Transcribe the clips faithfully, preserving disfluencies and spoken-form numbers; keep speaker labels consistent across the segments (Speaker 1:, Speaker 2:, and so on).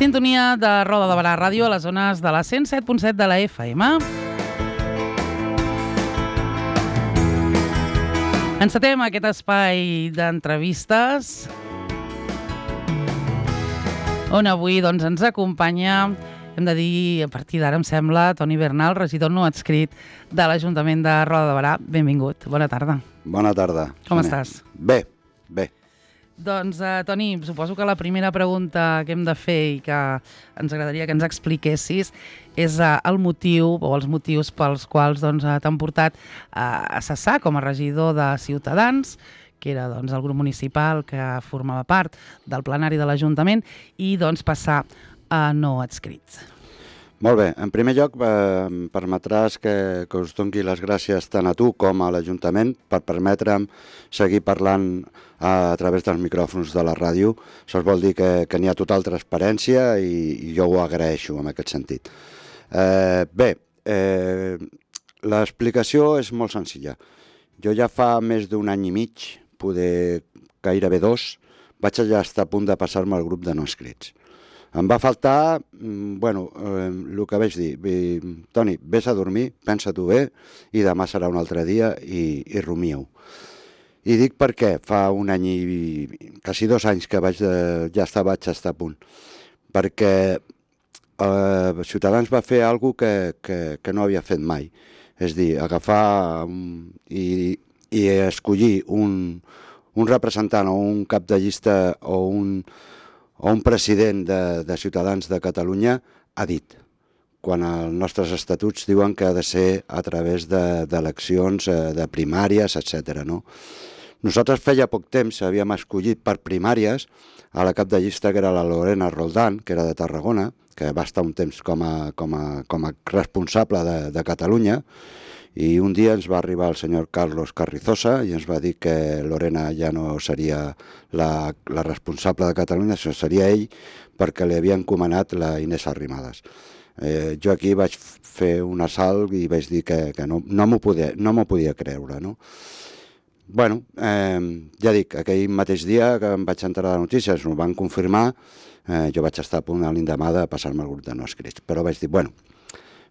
Speaker 1: Sintonia de Roda de Barà Ràdio a les zones de la cent set punt set de la F M. Encetem aquest espai d'entrevistes on avui doncs, ens acompanya, hem de dir, a partir d'ara em sembla, Toni Bernal, regidor no adscrit de l'Ajuntament de Roda de Barà. Benvingut, bona tarda.
Speaker 2: Bona tarda.
Speaker 1: Com estàs?
Speaker 2: Bé, bé.
Speaker 1: Doncs, uh, Toni, suposo que la primera pregunta que hem de fer i que ens agradaria que ens expliquessis és uh, el motiu o els motius pels quals doncs, uh, t'han portat uh, a cessar com a regidor de Ciutadans, que era doncs, el grup municipal que formava part del plenari de l'Ajuntament, i doncs, passar a no adscrit.
Speaker 2: Molt bé. En primer lloc, eh, em permetràs que, que us doni les gràcies tant a tu com a l'Ajuntament per permetre'm seguir parlant a, a través dels micròfons de la ràdio. Això vol dir que, que n'hi ha total transparència i, i jo ho agraeixo en aquest sentit. Eh, bé, eh, l'explicació és molt senzilla. Jo ja fa més d'un any i mig, poder gairebé dos, vaig ja estar a punt de passar-me al grup de no inscrits. Em va faltar, bueno, eh, el que vaig dir, Toni, vés a dormir, pensa-t'ho bé, i demà serà un altre dia i, i rumieu. I dic per què, fa un any i quasi dos anys que vaig de, ja està, vaig estar a punt. Perquè eh, Ciutadans va fer alguna cosa que, que, que no havia fet mai. És dir, agafar um, i, i escollir un, un representant o un cap de llista o un o un president de, de Ciutadans de Catalunya ha dit, quan els nostres estatuts diuen que ha de ser a través d'eleccions, de, de primàries, etcètera. No? Nosaltres feia poc temps havíem escollit per primàries a la cap de llista que era la Lorena Roldán, que era de Tarragona, que va estar un temps com a, com a, com a responsable de, de Catalunya, i un dia ens va arribar el senyor Carlos Carrizosa i ens va dir que Lorena ja no seria la, la responsable de Catalunya, sinó seria ell, perquè li havia encomanat la Inés Arrimadas. Eh, jo aquí vaig fer un assalt i vaig dir que, que no, no m'ho podia, no m'ho podia creure. No? Bueno, eh, ja dic, aquell mateix dia que em vaig enterar de notícies, ho van confirmar, eh, jo vaig estar a punt a l'endemà de passar-me al grup de no escrits. Però vaig dir, bueno,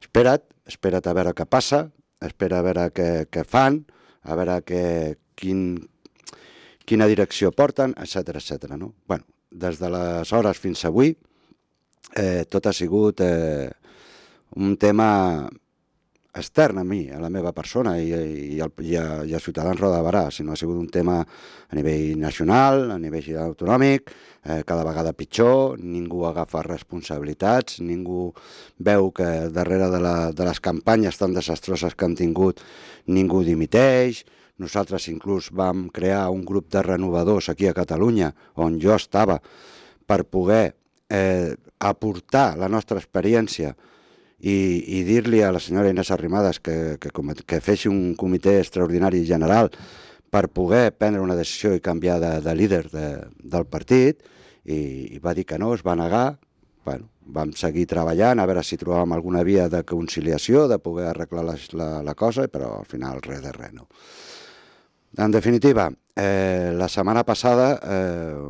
Speaker 2: espera't, espera't a veure què passa, espera a veure què, què fan, a veure què, quin, quina direcció porten, etcètera, etcètera. No? Bueno, des d'aleshores fins avui, eh, tot ha sigut eh, un tema extern a mi, a la meva persona i, i, al, i, a, i a Ciutadans Roda de Barà, sinó ha sigut un tema a nivell nacional, a nivell autonòmic, eh, cada vegada pitjor, ningú agafa responsabilitats, ningú veu que darrere de, la, de les campanyes tan desastroses que han tingut ningú dimiteix. Nosaltres inclús vam crear un grup de renovadors aquí a Catalunya, on jo estava, per poder eh, aportar la nostra experiència i, i dir-li a la senyora Inés Arrimadas que, que, que feixi un comitè extraordinari general per poder prendre una decisió i canviar de, de líder de, del partit, i, i va dir que no, es va negar. Bueno, vam seguir treballant a veure si trobàvem alguna via de conciliació, de poder arreglar la, la, la cosa, però al final res de res, no. En definitiva, eh, la setmana passada eh,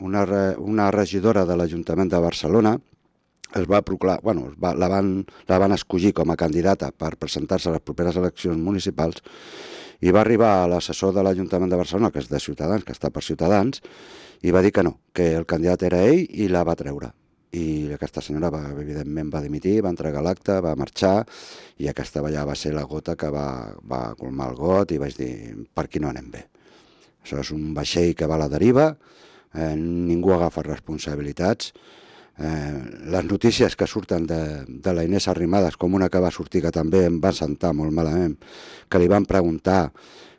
Speaker 2: una, una regidora de l'Ajuntament de Barcelona es va proclamar, bueno, va, la, van, la van escollir com a candidata per presentar-se a les properes eleccions municipals i va arribar a l'assessor de l'Ajuntament de Barcelona, que és de Ciutadans, que està per Ciutadans, i va dir que no, que el candidat era ell i la va treure. I aquesta senyora, va, evidentment, va dimitir, va entregar l'acte, va marxar, i aquesta ja va ser la gota que va, va colmar el got i vaig dir, per aquí no anem bé. Això és un vaixell que va a la deriva, eh, ningú agafa responsabilitats. Eh, les notícies que surten de, de la Inés Arrimadas, com una que va sortir que també em va sentar molt malament, que li van preguntar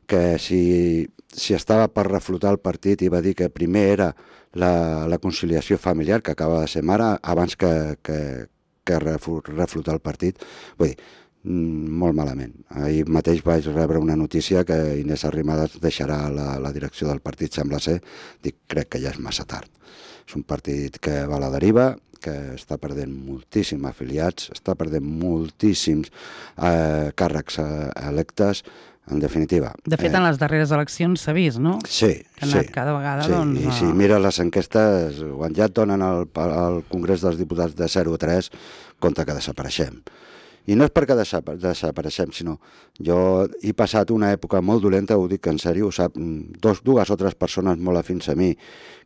Speaker 2: que si, si estava per reflotar el partit i va dir que primer era la, la conciliació familiar, que acaba de ser mare, abans que, que, que reflotar el partit. Vull dir, molt malament. Ahir mateix vaig rebre una notícia que Inés Arrimadas deixarà la, la direcció del partit, sembla ser. Dic, crec que ja és massa tard. És un partit que va a la deriva, que està perdent moltíssims afiliats, està perdent moltíssims eh, càrrecs eh, electes, en definitiva.
Speaker 1: De fet, en les darreres eleccions s'ha vist, no?
Speaker 2: Sí,
Speaker 1: que ha anat
Speaker 2: sí.
Speaker 1: cada vegada,
Speaker 2: sí.
Speaker 1: doncs...
Speaker 2: I si mires les enquestes, quan ja et donen al, al Congrés dels Diputats de zero a tres, compte que desapareixem. I no és perquè desapareixem, sinó jo he passat una època molt dolenta, ho dic en sèrio, ho sap, dos, dues o tres persones molt afins a mi,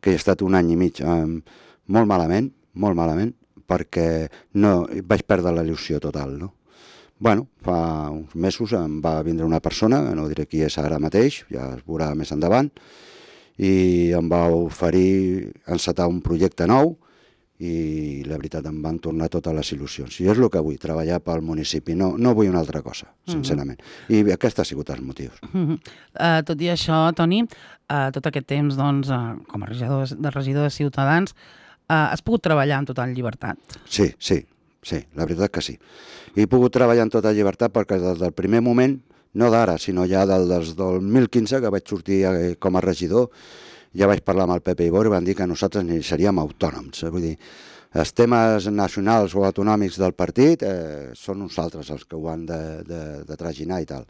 Speaker 2: que he estat un any i mig eh, molt malament, molt malament, perquè no, vaig perdre la il·lusió total, no? Bueno, fa uns mesos em va vindre una persona, no diré qui és ara mateix, ja es veurà més endavant, i em va oferir encetar un projecte nou, i la veritat em van tornar totes les il·lusions. I és el que vull, treballar pel municipi, no, no vull una altra cosa, sincerament. I aquest ha sigut els motius.
Speaker 1: Uh-huh. uh, tot i això, Toni, uh, tot aquest temps, doncs, uh, com a regidor de, regidor de Ciutadans, uh, has pogut treballar en total llibertat?
Speaker 2: Sí, sí, sí, la veritat que sí. He pogut treballar en tota llibertat perquè des del primer moment, no d'ara, sinó ja del, des del dos mil quinze, que vaig sortir eh, com a regidor, ja vaig parlar amb el Pepe Ibor i van dir que nosaltres ni seríem autònoms. Vull dir, els temes nacionals o autonòmics del partit eh, són nosaltres els que ho han de, de, de traginar i tal.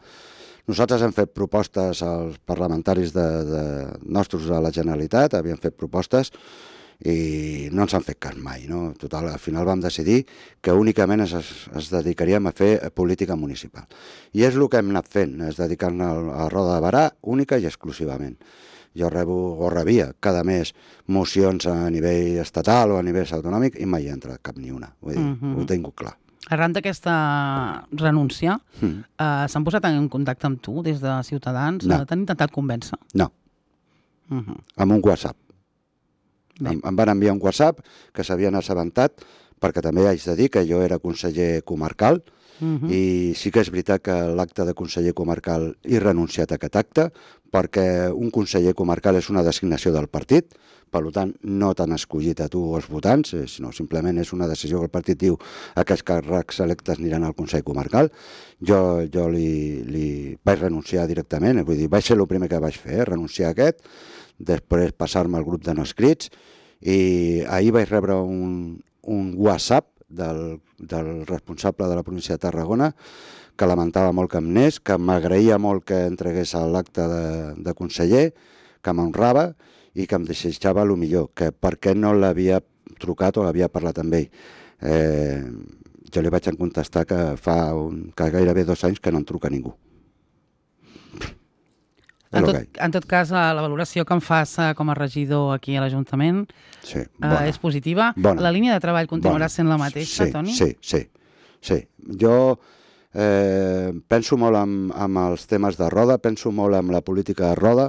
Speaker 2: Nosaltres hem fet propostes als parlamentaris de, de nostres de la Generalitat, havíem fet propostes i no ens han fet cas mai. No? Total, al final vam decidir que únicament es, es dedicaríem a fer política municipal. I és el que hem anat fent, és dedicar-nos a, a Roda de Barà única i exclusivament. Jo rebo o rebia cada mes mocions a nivell estatal o a nivell autonòmic i mai hi ha entrat cap ni una. Vull dir, uh-huh. Ho tinc clar.
Speaker 1: Arran d'aquesta renúncia, uh-huh. eh, s'han posat en contacte amb tu des de Ciutadans?
Speaker 2: No.
Speaker 1: T'han intentat convèncer?
Speaker 2: No. Uh-huh. Amb un WhatsApp. Em, em van enviar un WhatsApp que s'havien assabentat, perquè també haig de dir que jo era conseller comarcal, Uh-huh. i sí que és veritat que l'acte de conseller comarcal he renunciat a aquest acte perquè un conseller comarcal és una designació del partit, per tant no t'han escollit a tu o els votants, sinó simplement és una decisió que el partit diu aquests càrrecs electes aniran al Consell Comarcal. Jo, jo li, li vaig renunciar directament, vull dir, vaig ser el primer que vaig fer, eh, renunciar a aquest, després passar-me al grup de no escrits, i ahir vaig rebre un, un WhatsApp Del, del responsable de la província de Tarragona, que lamentava molt que em anés, que m'agraïa molt que entregués a l'acte de, de conseller, que m'honrava i que em desitjava el millor, que per què no l'havia trucat o l'havia parlat amb ell. Eh, jo li vaig contestar que fa un, que gairebé dos anys que no em truca ningú.
Speaker 1: En tot, en tot cas, la valoració que em fas com a regidor aquí a l'Ajuntament
Speaker 2: sí,
Speaker 1: eh, és positiva.
Speaker 2: Bona.
Speaker 1: La línia de treball continuarà
Speaker 2: bona.
Speaker 1: sent la mateixa,
Speaker 2: sí,
Speaker 1: Toni?
Speaker 2: Sí, sí, sí. Jo eh, penso molt en, en els temes de Roda, penso molt en la política de Roda,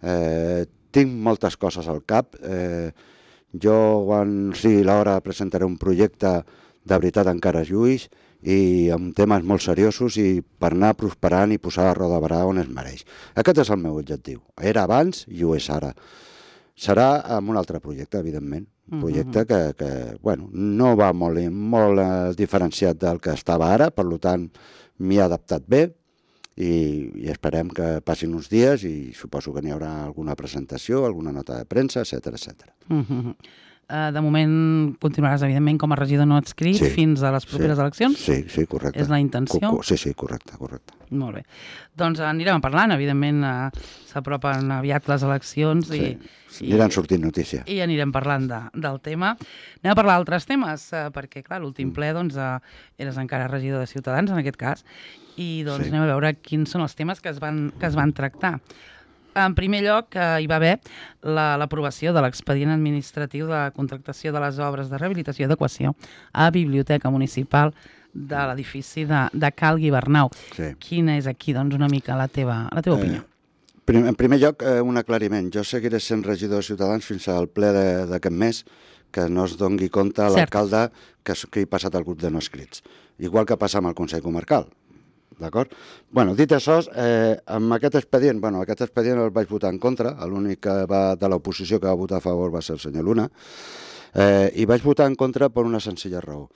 Speaker 2: eh, tinc moltes coses al cap. Eh, jo, quan sigui l'hora, presentaré un projecte de veritat encara lluís, i amb temes molt seriosos i per anar prosperant i posar la Roda de Barà on es mereix. Aquest és el meu objectiu. Era abans i ho és ara. Serà amb un altre projecte, evidentment. Un projecte uh-huh. que, que bueno, no va molt, molt eh, diferenciat del que estava ara, per tant m'hi he adaptat bé i, i esperem que passin uns dies i suposo que n'hi haurà alguna presentació, alguna nota de premsa, etcètera, etcètera.
Speaker 1: Uh-huh. Uh, de moment continuaràs, evidentment, com a regidor no adscrit sí, fins a les properes
Speaker 2: sí,
Speaker 1: eleccions?
Speaker 2: Sí, sí, correcte.
Speaker 1: És la intenció?
Speaker 2: Sí, sí, correcte, correcte.
Speaker 1: Molt bé. Doncs anirem parlant, evidentment, uh, s'apropen aviat les eleccions
Speaker 2: sí.
Speaker 1: i,
Speaker 2: i aniran sortint notícia.
Speaker 1: I anirem parlant de, del tema. Anem a parlar d'altres temes, uh, perquè, clar, l'últim ple, doncs, uh, eres encara regidor de Ciutadans, en aquest cas, i doncs sí. anem a veure quins són els temes que es van, que es van tractar. En primer lloc, eh, hi va haver l'aprovació la, de l'expedient administratiu de contractació de les obres de rehabilitació i adequació a Biblioteca Municipal de l'edifici de, de Cal Guibernau.
Speaker 2: Sí.
Speaker 1: Quina és aquí, doncs, una mica la teva, la teva opinió?
Speaker 2: Eh, prim, en primer lloc, eh, un aclariment. Jo seguiré sent regidor de Ciutadans fins al ple d'aquest mes, que no es doni compte a l'alcalde que, que hi ha passat el grup de no escrits. Igual que passa amb el Consell Comarcal. D'acord? Bueno, dit això, eh, amb aquest expedient, bueno, aquest expedient el vaig votar en contra, l'únic que va de l'oposició que va votar a favor va ser el senyor Luna, eh, i vaig votar en contra per una senzilla raó.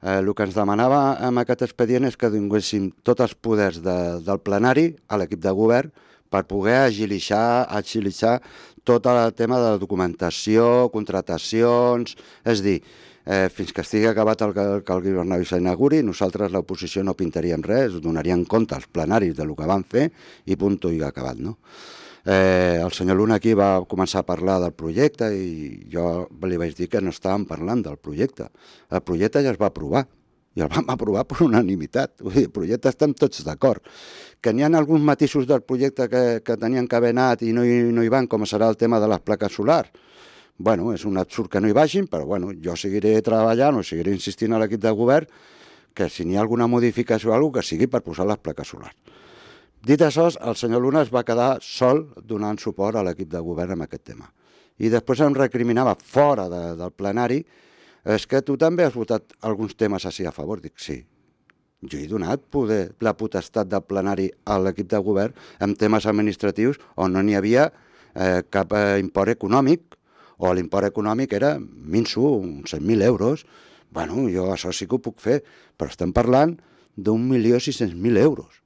Speaker 2: Eh, el que ens demanava amb aquest expedient és que donéssim tots els poders de, del plenari a l'equip de govern per poder agilitzar, agilitzar tot el tema de la documentació, contratacions, és dir, eh, fins que estigui acabat el Calgui Bernau i s'inauguri, nosaltres l'oposició no pintaríem res, donaríem compte als plenaris del que van fer i punt i acabat, no? Eh, el senyor Luna aquí va començar a parlar del projecte i jo li vaig dir que no estàvem parlant del projecte. El projecte ja es va aprovar i el vam aprovar per unanimitat. Vull dir, el projecte estem tots d'acord. Que n'hi ha alguns matisos del projecte que, que tenien que haver anat i no hi, no hi van, com serà el tema de les plaques solars. Bueno, és un absurd que no hi vagin, però bueno, jo seguiré treballant o seguiré insistint a l'equip de govern que si n'hi ha alguna modificació o alguna cosa, que sigui per posar les plaques solars. Dit això, el senyor Luna es va quedar sol donant suport a l'equip de govern amb aquest tema. I després em recriminava fora de, del plenari, és que tu també has votat alguns temes així a favor. Dic, sí, jo he donat poder, la potestat del plenari a l'equip de govern en temes administratius on no n'hi havia eh, cap eh, import econòmic, o l'import econòmic era minso, uns cent mil euros. Bueno, jo això sí que ho puc fer, però estem parlant d'un milió sis-cents mil euros,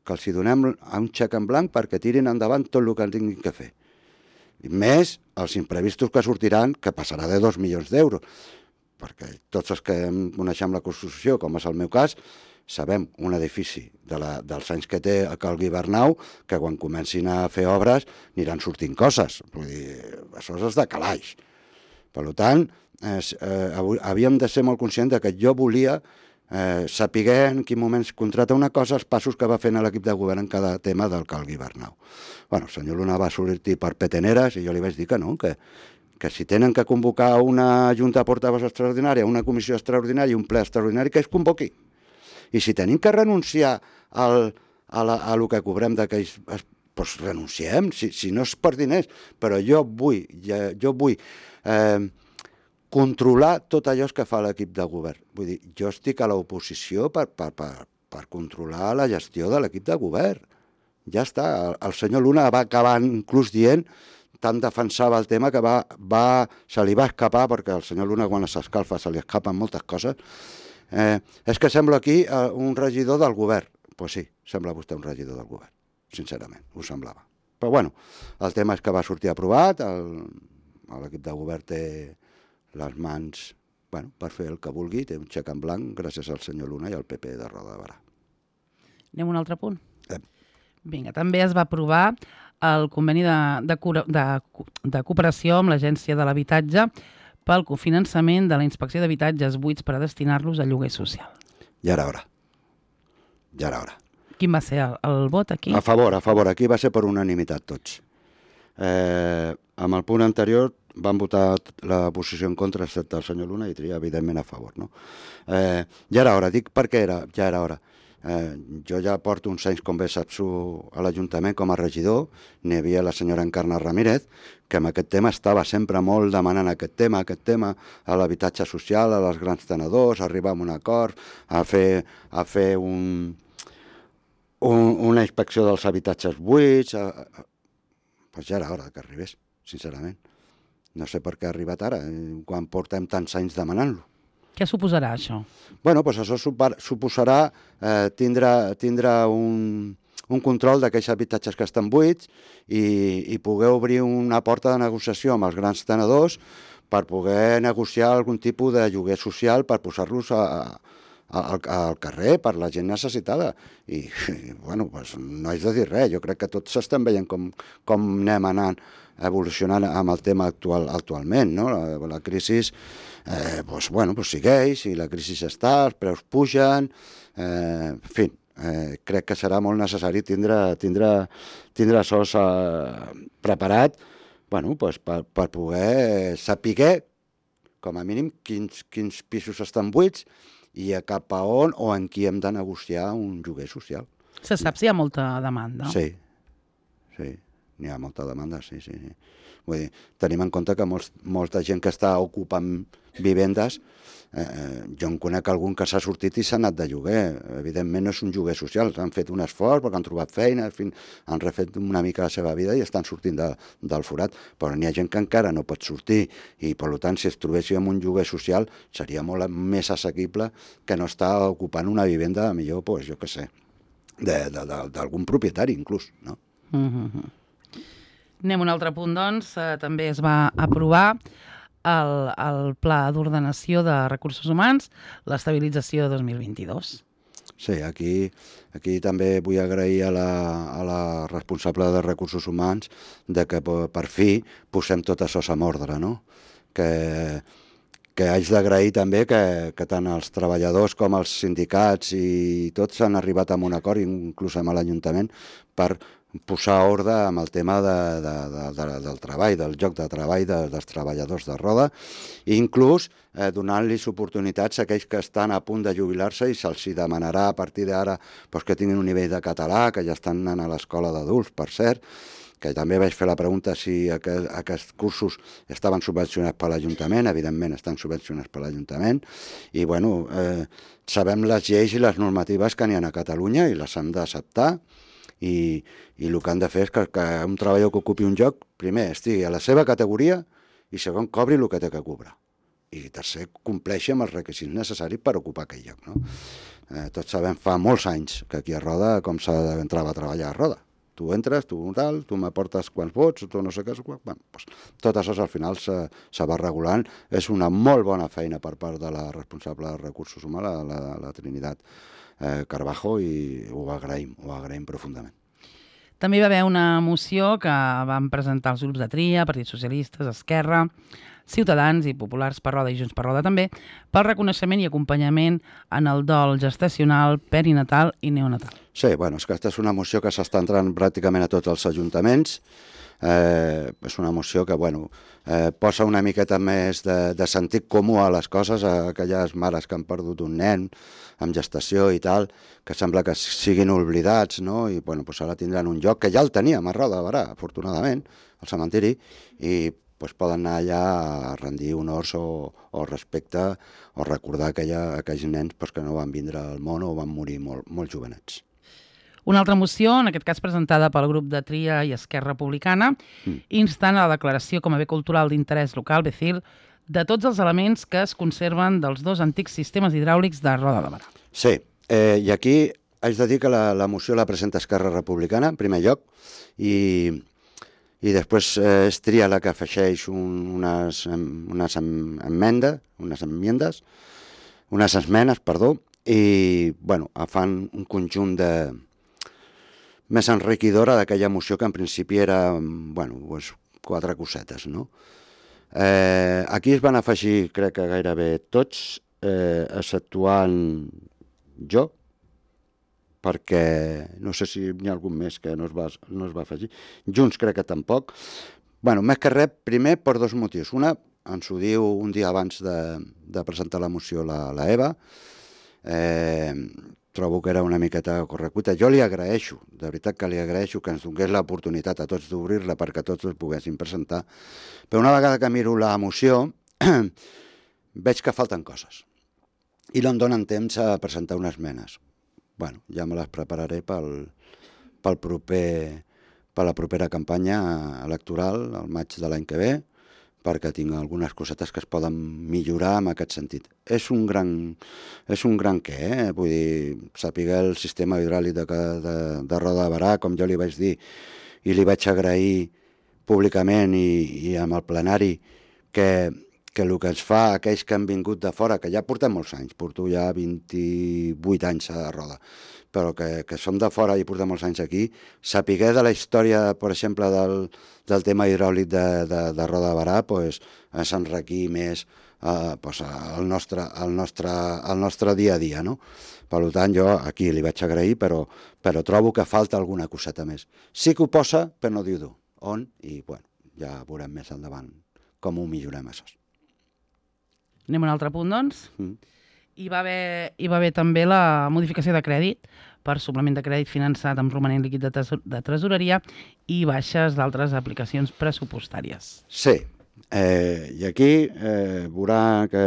Speaker 2: que els hi donem a un xec en blanc perquè tirin endavant tot el que tinguin que fer. I més els imprevistos que sortiran, que passarà de dos milions d'euros, perquè tots els que coneixem la Constitució, com és el meu cas, sabem un edifici de la, dels anys que té a Calgui Bernau, que quan comencin a fer obres aniran sortint coses. Vull dir, això és de calaix. Per tant, eh, eh, havíem de ser molt conscients de que jo volia eh, saber en quin moment es contrata una cosa, els passos que va fent l'equip de govern en cada tema del Calgui Bernau. Bueno, el senyor Luna va sortir per peteneres i jo li vaig dir que no, que, que si tenen que convocar una junta de portaveus extraordinària, una comissió extraordinària i un ple extraordinari, que es convoqui. I si tenim que renunciar al, a, la, a lo que cobrem d'aquells, doncs renunciem, si, si no és per diners, però jo vull, jo, jo vull eh, controlar tot allò que fa l'equip de govern. Vull dir, jo estic a l'oposició per, per, per, per controlar la gestió de l'equip de govern. Ja està, el, el senyor Luna va acabar inclús dient, tant defensava el tema que va, va, se li va escapar, perquè el senyor Luna quan s'escalfa se li escapen moltes coses. Eh, és que sembla aquí eh, un regidor del govern. Doncs pues sí, sembla vostè un regidor del govern, sincerament, ho semblava. Però bueno, el tema és que va sortir aprovat, l'equip de govern té les mans bueno, per fer el que vulgui, té un xec en blanc gràcies al senyor Luna i al P P de Roda de Barà.
Speaker 1: Anem a un altre punt?
Speaker 2: Eh.
Speaker 1: Vinga, també es va aprovar el conveni de, de, de, de cooperació amb l'Agència de l'Habitatge pel cofinançament de la inspecció d'habitatges buits per a destinar-los a lloguer social.
Speaker 2: Ja era hora. Ja era hora.
Speaker 1: Quin va ser el, el vot aquí?
Speaker 2: A favor, a favor. Aquí va ser per unanimitat tots. Eh, amb el punt anterior van votar la posició en contra, excepte el senyor Luna, i tria, evidentment, a favor. No? Eh, ja era hora. Dic per què era, ja era hora. Eh, jo ja porto uns anys, com bé saps, a l'Ajuntament com a regidor. N'hi havia la senyora Encarna Ramírez, que amb aquest tema estava sempre molt demanant aquest tema, aquest tema, a l'habitatge social, a les grans tenedors, a arribar a un acord, a fer, a fer un, un, una inspecció dels habitatges buits. A, a, pues ja era hora que arribés, sincerament. No sé per què ha arribat ara, quan portem tants anys demanant-lo.
Speaker 1: Què suposarà això?
Speaker 2: Bueno, doncs això suposarà eh, tindre, tindre un, un control d'aquells habitatges que estan buits i, i poder obrir una porta de negociació amb els grans tenedors per poder negociar algun tipus de lloguer social per posar-los a, a, al, al carrer per la gent necessitada. I, i bueno, doncs no haig de dir res, jo crec que tots s'estan veient com, com anem anant evolucionant amb el tema actual actualment, no? La, la crisi eh, doncs, bueno, doncs segueix, i la crisi està, els preus pugen, eh, en fi, eh, crec que serà molt necessari tindre, tindre, tindre això eh, preparat bueno, doncs per, per poder saber, com a mínim, quins, quins pisos estan buits i a cap a on o en qui hem de negociar un lloguer social.
Speaker 1: Se sap si hi ha molta demanda?
Speaker 2: Sí, sí. N'hi ha molta demanda, sí, sí. Vull dir, tenim en compte que molts, molta gent que està ocupant vivendes, eh, jo en conec algun que s'ha sortit i s'ha anat de lloguer. Evidentment no és un lloguer social, han fet un esforç perquè han trobat feina, en fi, han refet una mica la seva vida i estan sortint de, del forat, però n'hi ha gent que encara no pot sortir i, per tant, si es trobéssim en un lloguer social seria molt més assequible que no estar ocupant una vivenda, millor, pues, jo què sé, d'algun propietari inclús, no?
Speaker 1: Mm-hmm. Anem a un altre punt, doncs. Eh, també es va aprovar el, el Pla d'Ordenació de Recursos Humans, l'estabilització de dos mil vint-i-dos.
Speaker 2: Sí, aquí, aquí també vull agrair a la, a la responsable de Recursos Humans de que per fi posem tot això en ordre, no? Que, que haig d'agrair també que, que tant els treballadors com els sindicats i tots han arribat a un acord, inclús amb l'Ajuntament, per posar ordre amb el tema de, de, de, de, del treball, del lloc de treball de, dels treballadors de Roda, i inclús eh, donant-los oportunitats a aquells que estan a punt de jubilar-se i se'ls demanarà a partir d'ara pues, que tinguin un nivell de català, que ja estan anant a l'escola d'adults, per cert, que també vaig fer la pregunta si aquest, aquests cursos estaven subvencionats per l'Ajuntament. Evidentment estan subvencionats per l'Ajuntament, i bueno, eh, sabem les lleis i les normatives que n'hi ha a Catalunya i les hem d'acceptar. I, i el que han de fer és que, que un treballador que ocupi un lloc, primer, estigui a la seva categoria i segon, cobri el que té que cobrar. I tercer, compleixi amb els requisits necessaris per ocupar aquell lloc. No? Eh, tots sabem fa molts anys que aquí a Roda com s'ha d'entrar a treballar a Roda. Tu entres, tu tal, tu m'aportes quants vots, tu no sé què, bueno, doncs, tot això al final se, se va regulant. És una molt bona feina per part de la responsable de Recursos Humans, la, la, la Trinitat eh, Carbajo, i ho agraïm, ho agraïm profundament.
Speaker 1: També hi va haver una moció que van presentar els grups de Tria, Partits Socialistes, Esquerra, Ciutadans i Populars per Roda i Junts per Roda també, pel reconeixement i acompanyament en el dol gestacional, perinatal i neonatal.
Speaker 2: Sí, bueno, és que aquesta és una moció que s'està entrant pràcticament a tots els ajuntaments. Eh, és una moció que bueno, eh, posa una miqueta més de, de sentit comú a les coses, a aquelles mares que han perdut un nen amb gestació i tal, que sembla que siguin oblidats, no? I bueno, pues ara tindran un lloc que ja el teníem a Roda de Berà, afortunadament, al cementiri, i pues poden anar allà a rendir honors o, o respecte o recordar aquella, aquells nens pues, que no van vindre al món o van morir molt, molt jovenets.
Speaker 1: Una altra moció, en aquest cas presentada pel grup de Tria i Esquerra Republicana, mm. instant a la declaració com a bé cultural d'interès local, B C I L, de tots els elements que es conserven dels dos antics sistemes hidràulics de Roda de Berà.
Speaker 2: Sí, eh, i aquí haig de dir que la, la moció la presenta Esquerra Republicana, en primer lloc, i, i després eh, és Tria la que afegeix un, unes, unes emmendes, unes enmiendes, unes esmenes, perdó, i bueno, fan un conjunt de més enriquidora d'aquella moció que en principi era, bueno, pues, quatre cosetes, no? Eh, aquí es van afegir, crec que gairebé tots, eh, exceptuant jo, perquè no sé si hi ha algun més que no es va, no es va afegir. Junts crec que tampoc. Bueno, més que res, primer per dos motius. Una, ens ho diu un dia abans de, de presentar la moció la, la Eva, eh, trobo que era una miqueta correcuita. Jo li agraeixo, de veritat que li agraeixo que ens donés l'oportunitat a tots d'obrir-la perquè tots els poguessin presentar. Però una vegada que miro la moció, veig que falten coses. I no em donen temps a presentar unes esmenes. Bueno, ja me les prepararé pel, pel proper, per la propera campanya electoral, al maig de l'any que ve, perquè tinc algunes cosetes que es poden millorar en aquest sentit. És un gran, és un gran què, eh? Vull dir, saber el sistema hidràulic de, de, de Roda de Berà, com jo li vaig dir, i li vaig agrair públicament i, i amb el plenari, que, que el que ens fa aquells que han vingut de fora, que ja portem molts anys, porto ja vint-i-vuit anys a Roda, però que, que som de fora i portem molts anys aquí, saber de la història, per exemple, del, del tema hidràulic de, de, de Roda de Berà, pues, s'enriquir més eh, pues, el, nostre, el, nostre, el nostre dia a dia, no? Per tant, jo aquí li vaig agrair, però, però trobo que falta alguna coseta més. Sí que ho posa, però no diu d'on, on, i bueno, ja veurem més endavant com ho millorem, això.
Speaker 1: Anem a un altre punt, doncs.
Speaker 2: Mm.
Speaker 1: Hi va haver, hi va haver també la modificació de crèdit per suplement de crèdit finançat amb romanent líquid de, tesor de tresoreria i baixes d'altres aplicacions pressupostàries.
Speaker 2: Sí, eh, i aquí eh, veurà que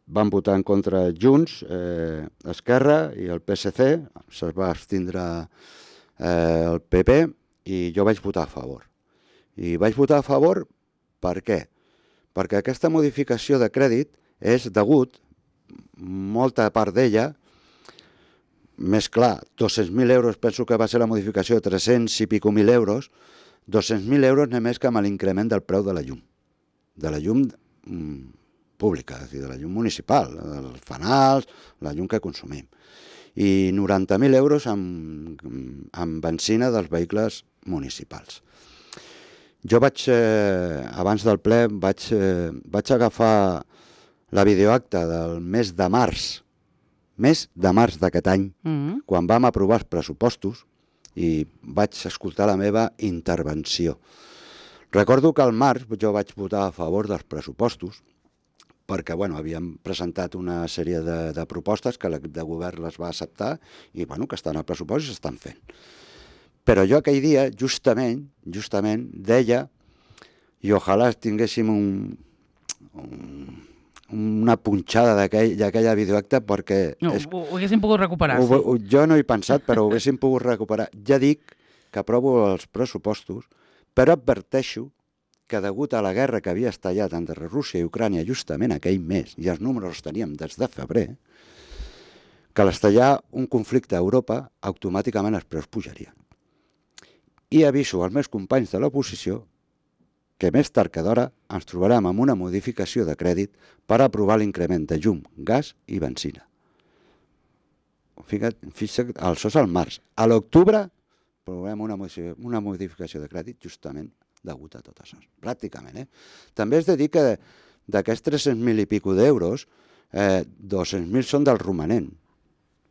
Speaker 2: van votar en contra Junts, eh, Esquerra i el P S C, se'ls va abstindre eh, el P P i jo vaig votar a favor. I vaig votar a favor per què? Perquè aquesta modificació de crèdit és degut, molta part d'ella, més clar, dos-cents mil euros, penso que va ser la modificació de tres-cents i pico mil euros, dos-cents mil euros només que amb l'increment del preu de la llum, de la llum mm, pública, és a dir, de la llum municipal, els fanals, la llum que consumim. I noranta mil euros amb, amb benzina dels vehicles municipals. Jo vaig, eh, abans del ple, vaig, eh, vaig agafar la videoacta del mes de març, mes de març d'aquest any, mm-hmm. quan vam aprovar els pressupostos, i vaig escoltar la meva intervenció. Recordo que al març jo vaig votar a favor dels pressupostos, perquè bueno, havíem presentat una sèrie de, de propostes que l'equip de govern les va acceptar i bueno, que estan al pressupost i s'estan fent. Però jo aquell dia, justament, justament deia, i ojalà tinguéssim un, un, una punxada d'aquella videoacta perquè...
Speaker 1: No,
Speaker 2: és,
Speaker 1: ho, ho haguéssim pogut recuperar.
Speaker 2: Ho, ho, jo no he pensat, però ho haguéssim pogut recuperar. Ja dic que aprovo els pressupostos, però adverteixo que degut a la guerra que havia estallat entre Rússia i Ucrània justament aquell mes, i els números els teníem des de febrer, que a l'estallar un conflicte a Europa, automàticament els preus pujarien. I aviso als meus companys de l'oposició que més tard que d'hora ens trobarem amb una modificació de crèdit per aprovar l'increment de llum, gas i benzina. Fixa't, fixa't, això és al març. A l'octubre aprovarem una, una modificació de crèdit justament degut a tot això, pràcticament. Eh? També és de dir que d'aquests tres-cents mil i pico d'euros, eh, dos-cents mil són del romanent,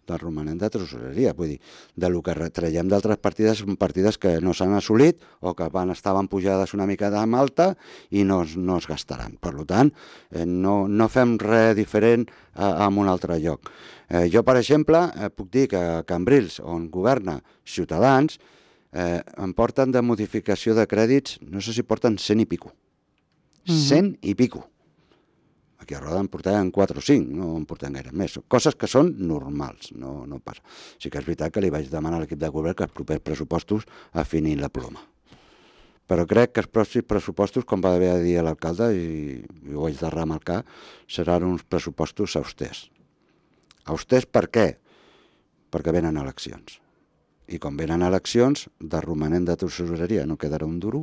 Speaker 2: del romanent de tresoreria, vull dir, de lo que traiem d'altres partides, són partides que no s'han assolit o que van, estaven pujades una mica de malta i no, no es gastaran. Per tant, eh, no, no fem res diferent eh, en un altre lloc. Eh, jo, per exemple, eh, puc dir que a Cambrils, on governa Ciutadans, Eh, em porten de modificació de crèdits, no sé si porten cent i pico. Mm-hmm. cent i pico. Aquí a Roda en portaven quatre o cinc, no en porten gaire més. Coses que són normals, no, no passa. Sí que és veritat que li vaig demanar a l'equip de govern que els propers pressupostos afinin la ploma. Però crec que els pròxims pressupostos, com va haver de dir l'alcalde, i, i ho haig de remarcar, seran uns pressupostos austers. Austers per què? Perquè venen eleccions. I com venen eleccions, de romanent de tresoreria no quedarà un duro,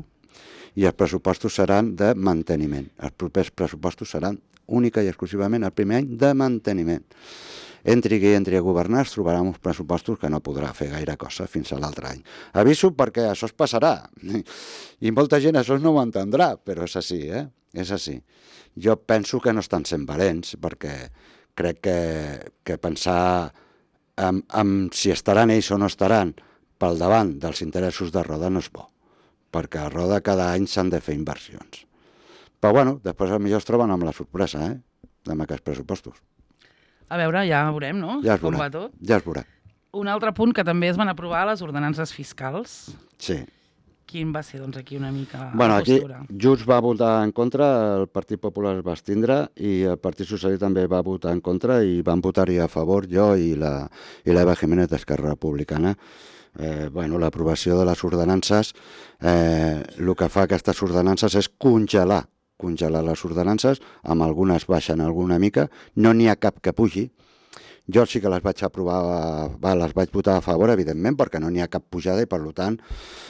Speaker 2: i els pressupostos seran de manteniment. Els propers pressupostos seran única i exclusivament el primer any de manteniment. Entri qui entri a governar, es trobarà uns pressupostos que no podrà fer gaire cosa fins a l'altre any. Aviso perquè això es passarà, i molta gent això no ho entendrà, però és així, eh? És així. Jo penso que no estan sent valents, perquè crec que, que pensar... Amb, amb si estaran ells o no estaran pel davant dels interessos de Roda no és bo, perquè a Roda cada any s'han de fer inversions. Però bueno, després potser es troben amb la sorpresa, eh?, amb aquests pressupostos.
Speaker 1: A veure, ja veurem, no?
Speaker 2: Ja es
Speaker 1: com
Speaker 2: veurà,
Speaker 1: va tot.
Speaker 2: ja es veurà.
Speaker 1: Un altre punt que també es van aprovar, les ordenances fiscals.
Speaker 2: Sí.
Speaker 1: Quin va ser, doncs, aquí una mica
Speaker 2: bueno,
Speaker 1: la
Speaker 2: postura? Aquí Junts va votar en contra, el Partit Popular es va abstindre i el Partit Socialista també va votar en contra i van votar-hi a favor jo i la i l'Eva Jiménez d'Esquerra Republicana. Eh, bueno, l'aprovació de les ordenances, eh, el que fa aquestes ordenances és congelar, congelar les ordenances, amb algunes baixen alguna mica, no n'hi ha cap que pugi. Jo sí que les vaig aprovar, va, les vaig votar a favor, evidentment, perquè no n'hi ha cap pujada i, per tant,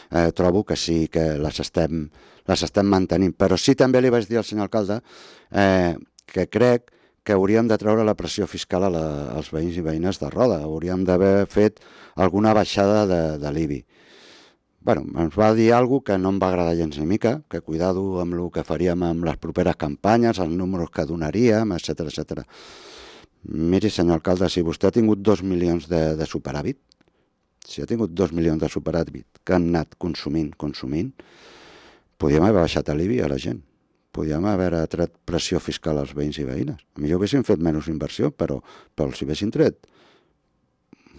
Speaker 2: eh, trobo que sí que les estem, les estem mantenint. Però sí també li vaig dir al senyor alcalde eh, que crec que hauríem de treure la pressió fiscal a la, als veïns i veïnes de Roda. Hauríem d'haver fet alguna baixada de, de l'I B I. Bueno, ens va dir alguna cosa que no em va agradar gens ni mica, que cuidado amb el que faríem amb les properes campanyes, els números que donaríem, etcètera, etcètera. Miri, senyor alcalde, si vostè ha tingut dos milions de, de superàvit, si ha tingut dos milions de superàvit que han anat consumint, consumint, podíem haver baixat l'I B I a la gent. Podíem haver tret pressió fiscal als veïns i veïnes. A millor haguéssim fet menys inversió, però, però si haguéssim tret,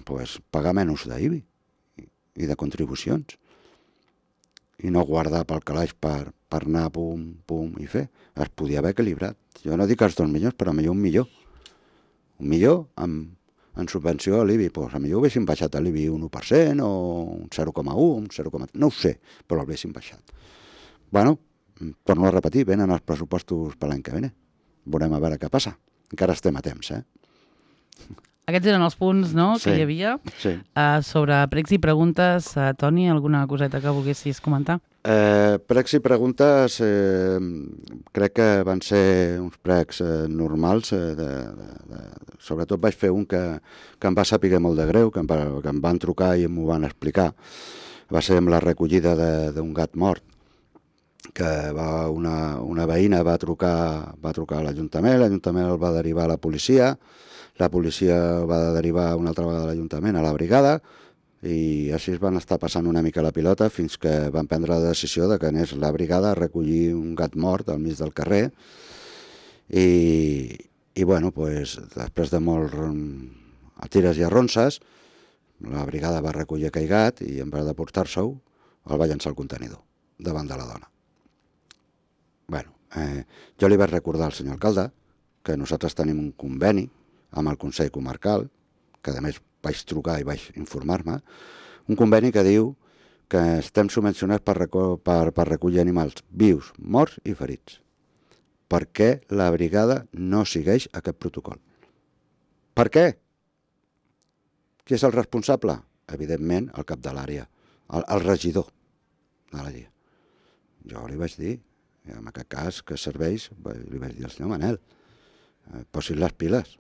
Speaker 2: pues, pagar menys d'I B I i de contribucions. I no guardar pel calaix per, per anar pum, pum i fer. Es podia haver equilibrat. Jo no dic els dos milions, però a millor un milió. Un milió amb, en subvenció a l'I B I. Pues a millor haguéssim baixat a l'I B I un u per cent o un zero coma u, un zero coma tres, no ho sé, però l'haguéssim baixat. Bueno, torno a repetir, venen els pressupostos per l'any que ve. Veurem a veure què passa. Encara estem a temps, eh?
Speaker 1: Aquests eren els punts, no?, que
Speaker 2: Sí,
Speaker 1: hi havia.
Speaker 2: sí.
Speaker 1: Uh, sobre pregs i preguntes, uh, Toni, alguna coseta que volguessis comentar?
Speaker 2: Eh, pregs i preguntes eh, crec que van ser uns pregs eh, normals. Eh, de, de, de, sobretot vaig fer un que, que em va saber molt de greu, que em, va, que em van trucar i m'ho van explicar. Va ser amb la recollida d'un gat mort, que va una, una veïna va trucar, va trucar a l'Ajuntament, l'Ajuntament el va derivar a la policia, la policia el va derivar una altra vegada a l'Ajuntament, a la brigada, i així es van estar passant una mica la pilota fins que van prendre la decisió de que anés la brigada a recollir un gat mort al mig del carrer. I, i bueno, pues, després de molt a tires i arronses, la brigada va recollir aquell gat i en vez de portar-se-ho, el va llançar al contenidor davant de la dona. Bueno, eh, jo li vaig recordar al senyor alcalde que nosaltres tenim un conveni amb el Consell Comarcal, que a més vaig trucar i vaig informar-me, un conveni que diu que estem subvencionats per, per, per recollir animals vius, morts i ferits. Per què la brigada no segueix aquest protocol? Per què? Qui és el responsable? Evidentment, el cap de l'àrea, el, el regidor de l'àrea. Jo li vaig dir, en aquest cas, que serveix, li vaig dir al senyor Manel, eh, posin les piles,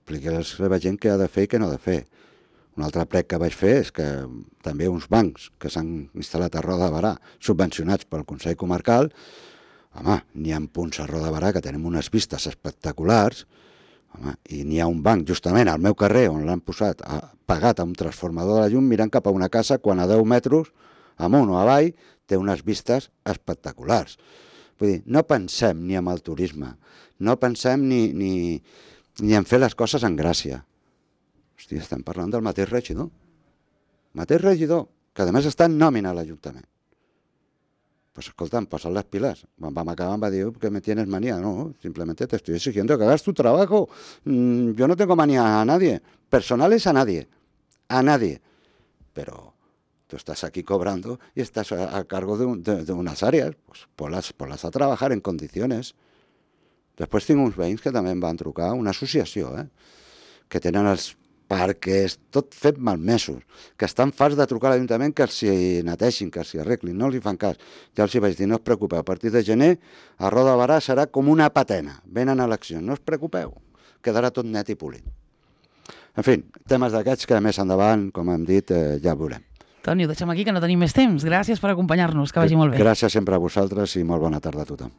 Speaker 2: expliqui-les a la gent què ha de fer i què no ha de fer. Un altre prec que vaig fer és que també uns bancs que s'han instal·lat a Roda de Barà, subvencionats pel Consell Comarcal, home, n'hi ha punts a Roda de Barà que tenim unes vistes espectaculars, home, i n'hi ha un banc justament al meu carrer on l'han posat a, pagat a un transformador de la llum mirant cap a una casa quan a deu metres amunt o avall té unes vistes espectaculars. Vull dir, no pensem ni en el turisme, no pensem ni, ni, ni en fer les coses en gràcia. Hosti, estem parlant del mateix regidor. Mateix regidor, que a més està en nòmina a l'Ajuntament. Pues escolta, posa't les pilas. Quan vam acabar em va dir que me tienes manía. No, simplemente te estoy exigiendo que hagas tu trabajo. Mm, yo no tengo manía a nadie. Personales a nadie. A nadie. Pero tú estás aquí cobrando y estás a, a cargo de, un, de, de unas áreas, pues ponlas, ponlas a trabajar en condiciones. Després tinc uns veïns que també em van trucar, una associació, eh? que tenen els parques, tot fet malmesos, que estan farts de trucar a l'Ajuntament que els neteixin, que els arreglin, no els hi fan cas. Ja els hi vaig dir, no us preocupeu, a partir de gener a Roda de Barà serà com una patena, venen eleccions, no us preocupeu, quedarà tot net i polit. En fi, temes d'aquests que més endavant, com hem dit, eh, ja veurem.
Speaker 1: Toni, ho deixem aquí, que no tenim més temps. Gràcies per acompanyar-nos, que vagi molt bé.
Speaker 2: Gràcies sempre a vosaltres i molt bona tarda a tothom.